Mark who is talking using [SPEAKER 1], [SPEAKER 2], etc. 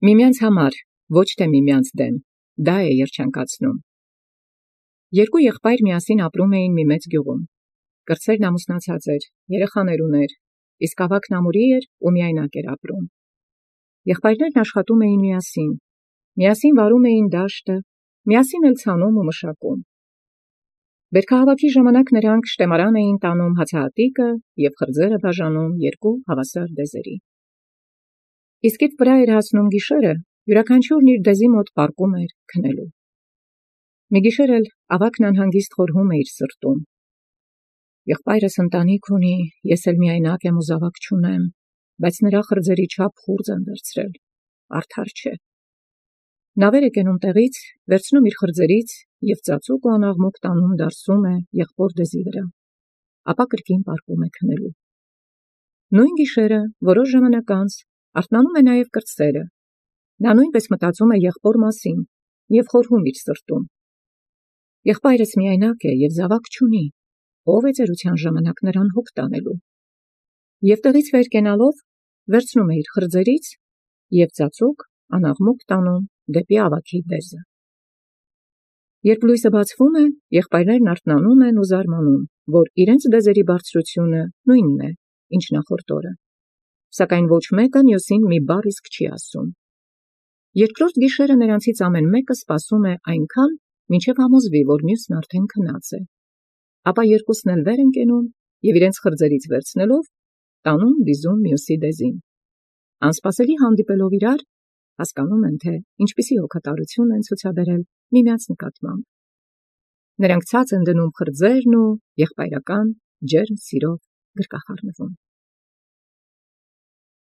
[SPEAKER 1] Միմյանց համար, ոչ թե միմյանց դեմ, դա է երջանկացնում։ Երկու եղբայր միասին ապրում էին մի մեծ գյուղում։ Կրտսերն ամուսնացած էր, երեխաներ ուներ, իսկ ավագն ամուրի էր ու միայնակ էր ապրում։ Եղբայրներն աշխատում էին միասին վարում էին դաշտը, միասին էլ ցանում ու մշակում։ Բերքահավաքի ժամանակ նրանք շտեմարան էին տանում հացահատիկը և խրձերը բաժանում երկու հավասար դեզերի։ Իսկ երբ վրա էր հասնում գիշերը, յուրաքանչյուրն իր դեզի մոտ պառկում էր քնելու։ Մի գիշեր էլ ավագն անհանգիստ խորհում է իր սրտում. «Եղբայրս ընտանիք ունի, ես էլ միայնակ եմ ու զավակ չունեմ, բայց նրա խրձերի չափ խուրձ եմ վերցրել, արդար չէ»։ Նա վեր է կենում տեղից, վերցնում իր խրձերից և ծածուկ ու անաղմուկ տանում դարսում է եղբոր դեզի վրա, ապա կրկին պառկում է քնելու։ Նույն գիշերը, որոշ ժամանակ անց, արթնանում է նաև կրտսերը։ Նա նույնպես մտածում է եղբոր մասին և խորհում իր սրտում. «Եղբայրս միայնակ է և զավակ չունի, ո՞վ է ծերության ժամանակ նրան հոգ տանելու»։ Եվ տեղից վեր կենալով, վերցնում է իր խրձերից և ծածուկ անաղմուկ տանում դեպի ավագի դեզը։ Երբ լույսը բացվում է, եղբայրներն արթնանում են ու զարմանում, որ իրենց դեզերի բարձրությունը նույնն է, ինչ նախորդ օրը, սակայն ոչ մեկը մյուսին մի բառ իսկ չի ասում։ Երկրորդ գիշերը նրանցից ամեն մեկը սպասում է այնքան, մինչև համոզվի, որ մյուսն արդեն քնած է։ Ապա երկուսն էլ վեր են կենում և իրենց խրձերից վերցնելով, տանում դիզում մյուսի դեզին։ Անսպասելի հանդիպելով իրար, հասկանում են, թե ինչպիսի հոգատարություն են ցուցաբերել միմյանց նկատմամբ։ Նրանք ցած են դնում խրձերն ու եղբայրական ջերմ սիրով գրկախառնվում։